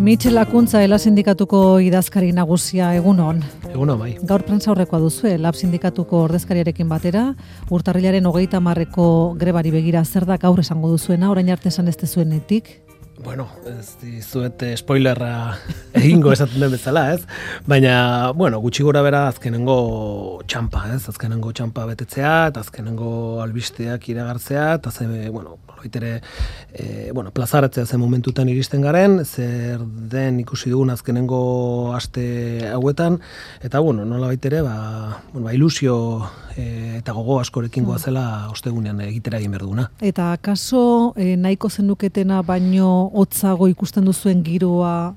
Michel Akuntza, ELA sindikatuko idazkari nagusia, egunon. Egunon, bai. Gaur prentsa aurrekoa duzu, ELA sindikatuko ordezkariarekin batera, urtarrilaren 30ko grebari begira zer da gaur esango duzuena, orain arte esan ez dezuenetik? Bueno, ez dizuet spoilerra egingo esaten den bezala, ez? Baina, bueno, gutxi gora bera azkenengo txampa, ez? Azkenengo txampa betetzea, eta azkenengo albisteak iragartzea, eta baitere, plazaratzea zen momentutan iristen garen, zer den ikusi dugun azkenengo aste hauetan, eta, nola baitere, ilusio eta gogo askorekin goazela ostegunean egitera egin berduguna. Eta kaso nahiko zenuketena baino hotzago ikusten duzuen giroa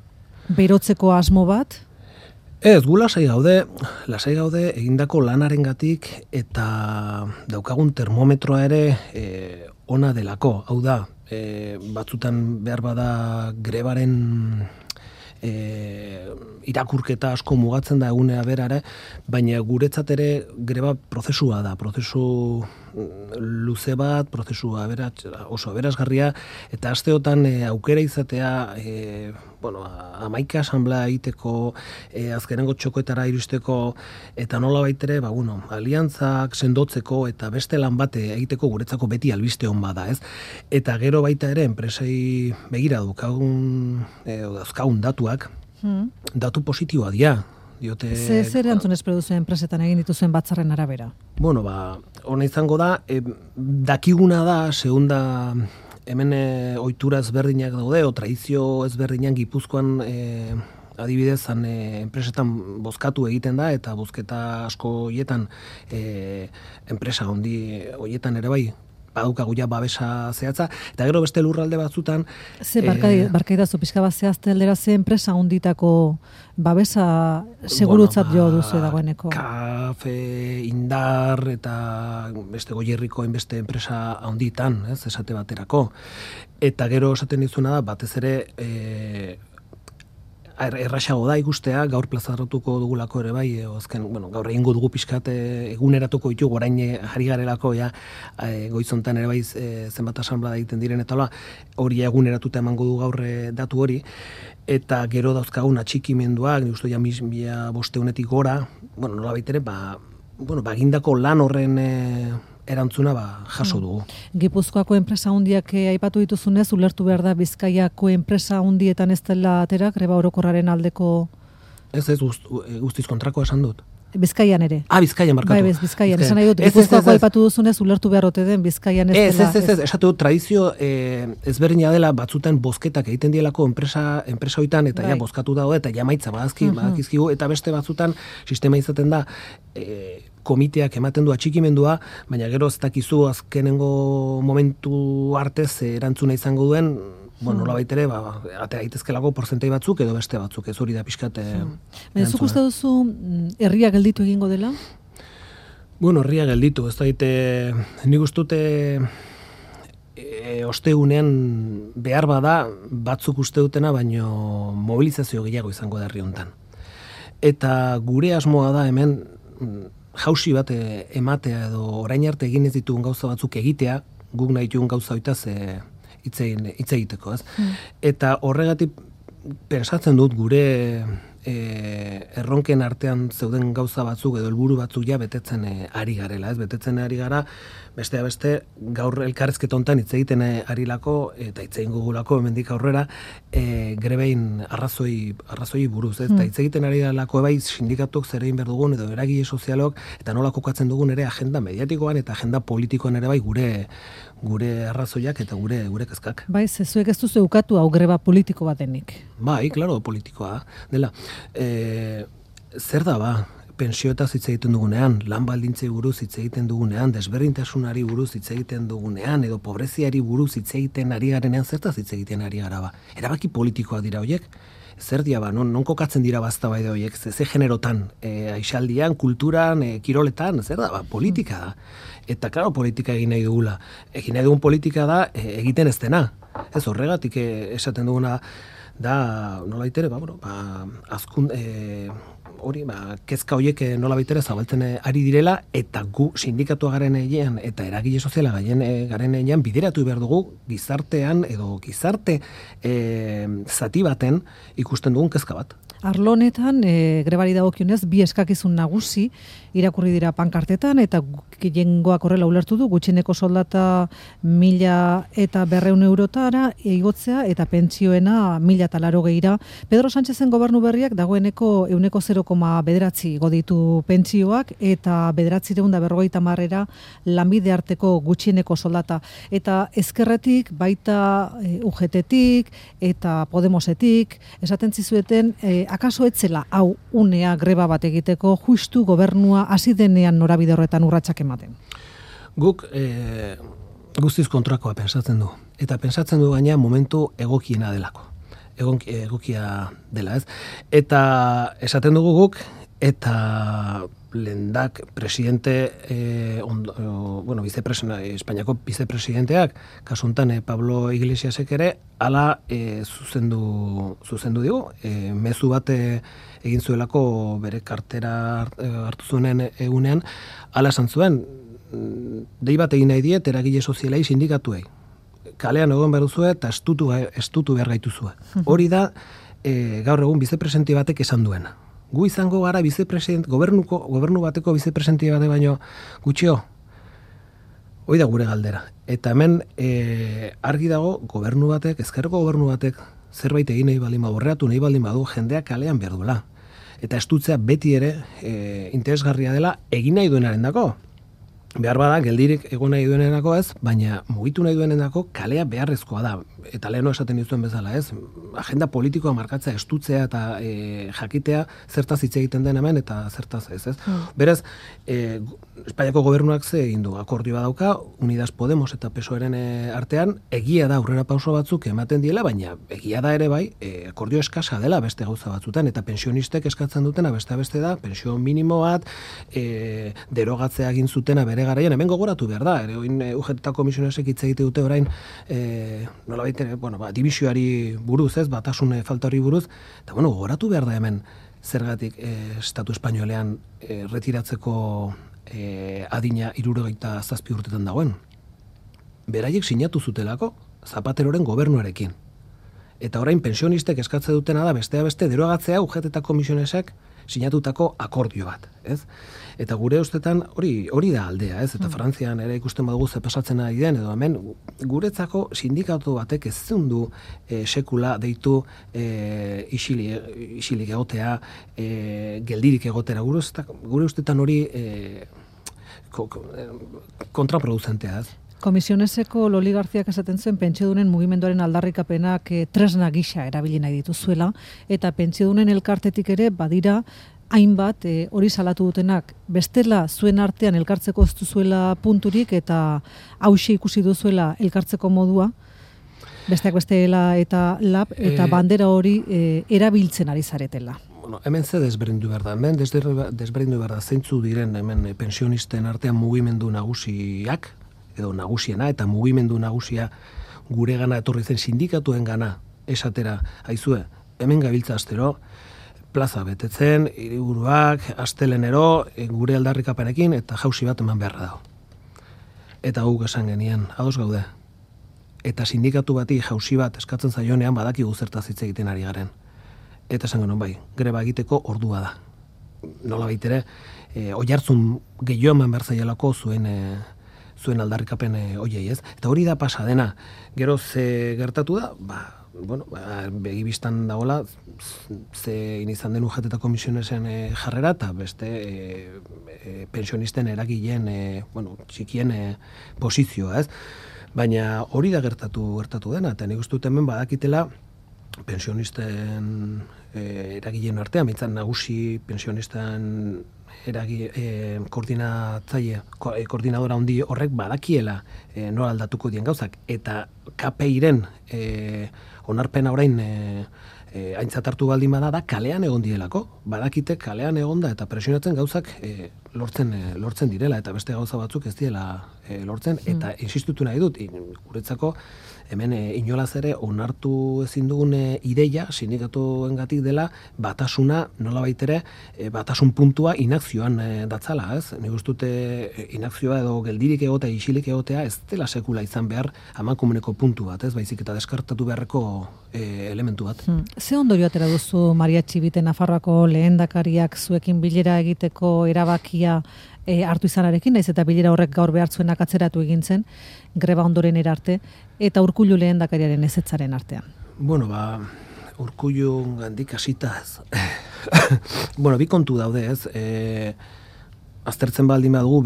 berotzeko asmo bat? Ez, gu lasai gaude egindako lanarengatik eta daukagun termometroa ere ona delako. Hau da, batzutan behar bada grebaren irakurketa asko mugatzen da egunea berare, baina guretzat ere greba prozesua da, prozesu luze bat, prozesu oso aberasgarria, eta asteotan aukera izatea, 11 asanblea egiteko, azkenengo txokoetara iristeko, eta nola baitere, aliantzak sendotzeko eta beste lan bate egiteko guretzako beti albiste hon bada, ez? Eta gero baita ere, enpresei begira dauzkagun datuak, datu positiboa dira. Zer erantzun espero duzuen enpresetan egin dituzuen batzarren arabera? Hona izango da, dakiguna da, segunda hemen ohitura ezberdinak daude, o tradizio ezberdinak Gipuzkoan adibidez, enpresetan bozkatu egiten da, eta bozketa asko hoietan enpresa hoietan ere bai, badaukagu ja babesa zehatza, eta gero beste lurralde batzutan... Barkaidazu, pixka bat zehazte aldera ze enpresa hunditako babesa segurutzat jo duzu dagoeneko? Kafe, Indar, eta beste Goierriko beste enpresa hunditan, esate baterako. Eta gero esaten dizuna da, batez ere... erraxago da ikustea, gaur plazaratuko dugulako ere bai, gaur egingo dugu pixkat eguneratuko ditugu, orain jarri garelako, goizontan ere bai zenbat asanblea egiten diren, eta hori eguneratuta emango du gaur datu hori, eta gero dauzkagun atxikimenduak, ni uste ja 1500 gora, nola baitere, egindako lan horren erantzuna jaso dugu. Gipuzkoako enpresa hundiak aipatu dituzunez, ulertu behar da Bizkaiako enpresa hundietan ez dela atera, greba orokorraren aldeko... Ez, guztiz kontrakoa esan dut. Bizkaian ere. Bizkaian, markatu. Bai, Bizkaian. Esan nahi dut, Gipuzkoako aipatu duzunez, ulertu behar ote den, Bizkaian ez dela... Ez, esatu dut, tradizio ezberdina dela batzutan bozketak egiten dielako enpresa hoitan, eta bozkatu dago, eta maitza badakizkigu, eta beste batzutan sistema izaten da, komiteak ematen du atxikimendua, baina gero ez dakizu azkenengo momentu artez erantzuna izango duen, nola baitere, atera daitezkelako porzentai batzuk edo beste batzuk, ez hori da pixkat erantzuna. Zuk uste duzu herria gelditu egingo dela? Herria gelditu, ez daite, nik ustute ostegunean behar bada batzuk uste dutena, baino mobilizazio gehiago izango da herri hontan. Eta gure asmoa da hemen jausi bat ematea edo orain arte egin ez ditugun gauza batzuk egitea, guk nahi ditugun gauza hoitaz hitz egiteko, ez? Eta horregatik pensatzen dut gure erronken artean zeuden gauza batzuk edo helburu batzuk betetzen ari garela, ez? Betetzen ari gara, beste gaur elkarrezketa hontan hitz egiten arilako eta hitz egingo gulako hemendik aurrera grebein arrazoi buruz, ez? Eta hitz egiten ari garelako bai sindikatuak zer egin behar dugun edo eragile sozialok eta nola kokatzen dugun ere agenda mediatikoan eta agenda politikoan ere bai gure arrazoiak eta gure kezkak. Bai, zuek ez duzu ukatu hau greba politiko batenik. Bai, klaro, politikoa dela. Zer da pensioetaz hitz egiten dugunean, lan baldintzei buruz hitz egiten dugunean, desberdintasunari buruz hitz egiten dugunean, edo pobreziari buruz hitz egiten ari garenean, zertaz hitz egiten ari gara Erabaki politikoak dira horiek? Zer dira non kokatzen dira baztabaide horiek? Ze generotan, aixaldian, kulturan, kiroletan, zer da? Politika da. Eta, klaro, politika egin nahi dugula. Egin nahi dugun politika da egiten ez dena. Ez horregatik esaten duguna da, nola itere, hori, kezka horiek nola baitere zabaltzen ari direla, eta gu sindikatua garen enean, eta eragile soziala garen enean, bideratu behar dugu gizartean, edo gizarte zati baten ikusten dugun kezka bat. Arlo honetan, grebari dagokionez, bi eskakizun nagusi irakurri dira pankartetan, eta gehiengoak horrela ulertu du, gutxieneko soldata 1.200 eurotara igotzea, eta pentsioena 1.080. Pedro Sánchezen gobernu berriak dagoeneko 0,9 igo ditu pentsioak, eta 950 lanbide arteko gutxieneko soldata. Eta ezkerretik, baita UGT-tik, eta Podemosetik, esaten zizueten, akaso etzela hau unea greba bat egiteko justu gobernua hasi denean norabide horretan urratsak ematen? Guk guztiz kontrakoa pentsatzen du. Eta pentsatzen du gaina momentu egokiena delako. Egokia dela, ez? Eta esaten dugu guk, eta lehendak presidente, Espainiako vicepresidenteak, kasuntan Pablo Iglesiasek ere, ala zuzendu digu, mezu bat egin zuelako bere kartera hartu zuen egunean, ala esan zuen, dei bat egin nahi diet eragile sozialei sindikatuei. Kalean egon behar duzue eta estutu behar gaituzue. Hori da, gaur egun vicepresidente batek esan duena. Gu izango gara gobernu bateko vicepresidente bate baino gutxio. Hoi da gure galdera. Eta hemen argi dago gobernu batek, ezkerreko gobernu batek zerbait egin nahi baldin badu, horreatu nahi baldin badu, jendeak kalean behar duela. Eta estutzea beti ere interesgarria dela egin nahi duenarendako. Behar bada, geldirik egon nahi duenenako ez, baina mugitu nahi duenenako kalea beharrezkoa da. Eta leheno esaten dizuen bezala ez, agenda politikoa markatzea, estutzea eta jakitea zertaz hitz egiten den hemen eta zertaz ez. Beraz, Espainiako gobernuak ze egin du, akordioa dauka, Unidas Podemos eta PSOEren artean, egia da aurrera pauso batzuk ematen diela, baina egia da ere bai, akordio eskasa dela beste gauza batzutan, eta pensionistek eskatzen dutena beste da, pensio minimo bat, derogatzea egin zutena bere garaian, hemen gogoratu behar da, ere oin UGT komisionesek hitz egite dute orain, nolabait, divisioari buruz, ez, batasun falta hori buruz, eta gogoratu behar da hemen, zergatik Estatu Espainolean retiratzeko adina 67 urtetan dagoen. Beraiek sinatu zutelako Zapateroren gobernuarekin. Eta orain pensionistek eskatze dutena da beste derogatzea UGT eta komisionesek sinatutako akordio bat, ez? Eta gure ustetan hori da aldea, ez? Eta Frantzian ere ikusten badugu ze pasatzen ari den, edo hemen guretzako sindikatu batek ez du sekula deitu isilik egotea, geldirik egotera. Gure ustetan hori kontraproduzentea, ez? Komisioneseko Loli Garziak esaten zuen pentsiodunen mugimenduaren aldarrikapenak tresna gisa erabili nahi dituzuela, eta pentsiodunen elkartetik ere badira hainbat hori salatu dutenak, bestela zuen artean elkartzeko ez duzuela punturik eta hauxe ikusi duzuela elkartzeko modua, besteak besteela eta lab, eta bandera hori erabiltzen ari zaretela. Hemen ze desberdindu behar da, hemen desberdindu behar da zeintzu diren hemen pensionisten artean mugimendu nagusiak, edo nagusiena, eta mugimendu nagusia gure gana etorri zen sindikatuen gana esatera, aizue, hemen gabiltza astero, plaza betetzen, hiriburuak, astelenero, gure aldarrikapenekin, eta jausi bat eman beharra dago. Eta guk esan genien, ados gaude. Eta sindikatu bati jausi bat eskatzen zaionean badakigu zertaz hitz egiten ari garen. Eta esan genuen bai, greba egiteko ordua da. Nola baitere, oihartzun gehiago eman behar zaialako zuen aldarrikapen hoiei, ez? Eta hori da pasa dena. Gero ze gertatu da, begibistan dagoela, zein izan den UGT eta komisionesen jarrera, eta beste pensionisten eragileen, txikien posizioa, ez? Baina hori da gertatu dena, eta nik uste dut hemen badakitela pensionisten eragileen artean, bintzat nagusi pensionisten koordinadora handi horrek badakiela nola aldatuko dien gauzak, eta KPI-ren onarpena orain aintzat hartu baldin bada da kalean egon direlako, badakite kalean egon da eta presionatzen gauzak lortzen direla, eta beste gauza batzuk ez lortzen, eta insistutu nahi dut, guretzako, hemen inolaz ere onartu ezin dugun ideia sindikatuengatik dela batasuna nolabait ere batasun puntua inakzioan datzala, ez? Nik uste dut inakzioa edo geldirik egotea, isilik egotea ez dela sekula izan behar amankomuneko puntu bat, ez? Baizik eta deskartatu beharreko elementu bat. Ze ondorio atera duzu Maria Txibite Nafarroako lehendakariak zuekin bilera egiteko erabakia hartu izanarekin, naiz eta bilera horrek gaur behartzuenak atzeratu egin zen, greba ondoren arte, eta Urkullu lehendakariaren ezetzaren artean. Bueno, Urkullu gandik hasita ez. Bueno, bi kontu daude, ez? Aztertzen baldin badugu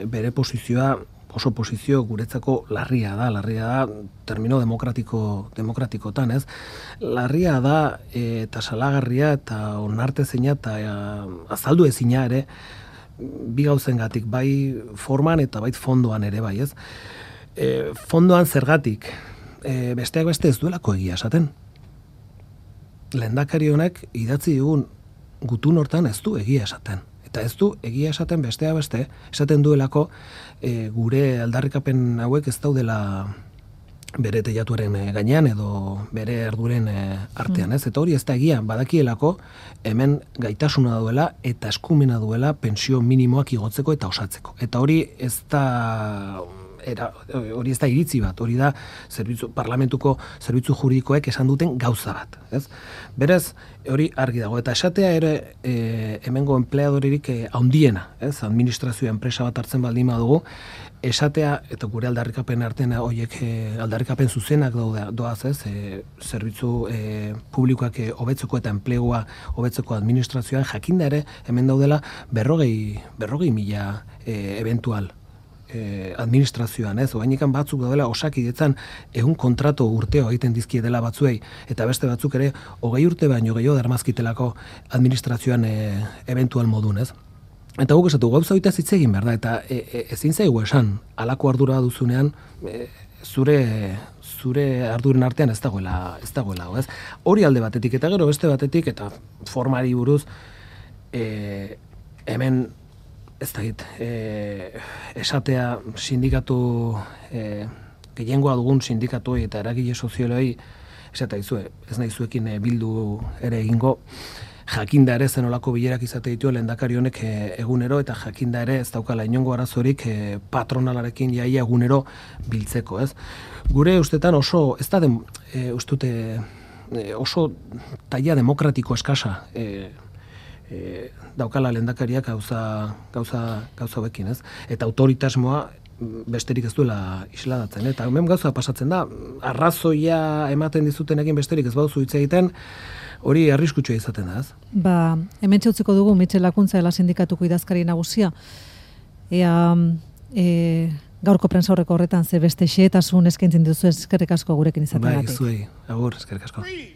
bere posizioa, oso posizio guretzako larria da termino demokratikotan, ez? Larria da eta salagarria eta onartezina eta azaldu ezina ere, bi gauzengatik, bai forman eta bai fondoan ere, bai, ez? Fondoan zergatik, besteak beste ez duelako egia esaten. Lehendakari honek idatzi digun gutun hortan ez du egia esaten. Eta ez du egia esaten besteak beste, esaten duelako gure aldarrikapen hauek ez daudela bere teilatuaren gainean edo bere erduren artean, ez? Eta hori ez da egia, badakielako hemen gaitasuna duela eta eskumena duela pentsio minimoak igotzeko eta osatzeko. Eta hori ez da iritzi bat, hori da parlamentuko zerbitzu juridikoek esan duten gauza bat, ez? Berez, hori argi dago, eta esatea ere hemengo enpleadoririk handiena, ez? Administrazioa enpresa bat hartzen baldin badugu, esatea, eta gure aldarrikapen artean horiek aldarrikapen zuzenak doaz, ez? Zerbitzu publikoak hobetzeko eta enplegua hobetzeko administrazioan jakinda ere hemen daudela 40.000 eventual administrazioan, ez? Oainikan batzuk daudela Osakidetzan 100 kontratu urteo egiten dizkietela batzuei, eta beste batzuk ere 20 urte baino gehiago darmazkitelako administrazioan eventual modun, ez? Eta guk esatu gauza hoitaz hitz egin behar da, eta ezin zaigu esan, halako ardura duzunean, zure arduren artean ez dagoela, ez? Hori alde batetik, eta gero beste batetik, eta formari buruz, hemen ez dakit, esatea sindikatu, gehiengoa dugun sindikatuei eta eragile soziolei, esatea izue, ez nahi zuekin bildu ere egingo, jakinda ere zenolako bilerak izate ditu lehendakari honek egunero, eta jakinda ere ez daukala inongo arazorik patronalarekin jaia egunero biltzeko, ez? Gure ustetan oso, ez da oso taia demokratiko eskasa daukala lehendakariak gauza bekin, ez? Eta autoritasmoa besterik ez duela isladatzen, eta hemen gauza pasatzen da, arrazoia ematen dizutenekin besterik ez baduzu hitz egiten, hori arriskutsua izaten da, ez? Hemen txautziko dugu Mitxel Lakuntza dela sindikatuko idazkari nagusia. Gaurko prentsaurreko horretan ze beste xehetasun eskaintzen duzu, eskerrik asko gurekin izateagatik. Bai, zuei, agur, eskerrik asko.